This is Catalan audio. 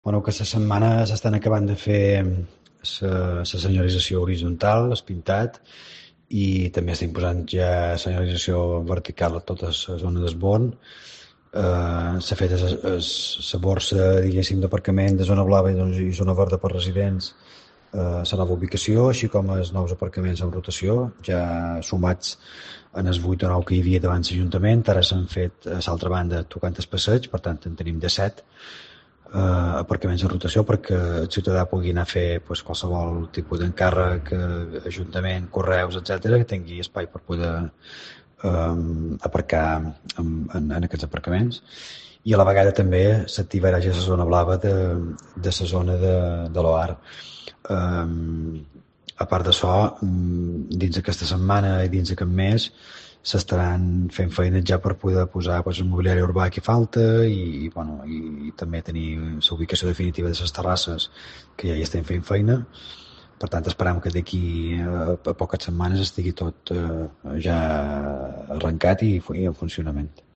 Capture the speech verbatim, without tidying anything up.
Bueno, aquesta setmana s'estan acabant de fer la senyorització horitzontal, el pintat, i també estem posant ja senyorització vertical a tota la zona d'esborn. Eh, S'ha fet la borsa, diguéssim, d'aparcament de zona blava i doncs, i zona verda per residents, eh, la nova ubicació, així com els nous aparcaments en rotació, ja sumats en els vuit o nou que hi havia davant l'Ajuntament. Ara s'han fet a l'altra banda tocant el passeig, per tant en tenim de set eh, aparcaments en rotació perquè el ciutadà pugui anar a fer pues, qualsevol tipus d'encàrrec, eh, ajuntament, correus, etcètera, que tingui espai per poder eh, aparcar en, en, en aquests aparcaments. I a la vegada també s'activarà ja la zona blava de, de la zona de, de l'O A R. Eh, a part d'això, dins aquesta setmana i dins aquest mes s'estaran fent feines ja per poder posar pues, el mobiliari urbà que falta i, i, bueno, i, i també tenir la ubicació definitiva de les terrasses que ja hi estem fent feina. Per tant, esperam que d'aquí a, a poques setmanes estigui tot eh, ja arrencat i, i en funcionament.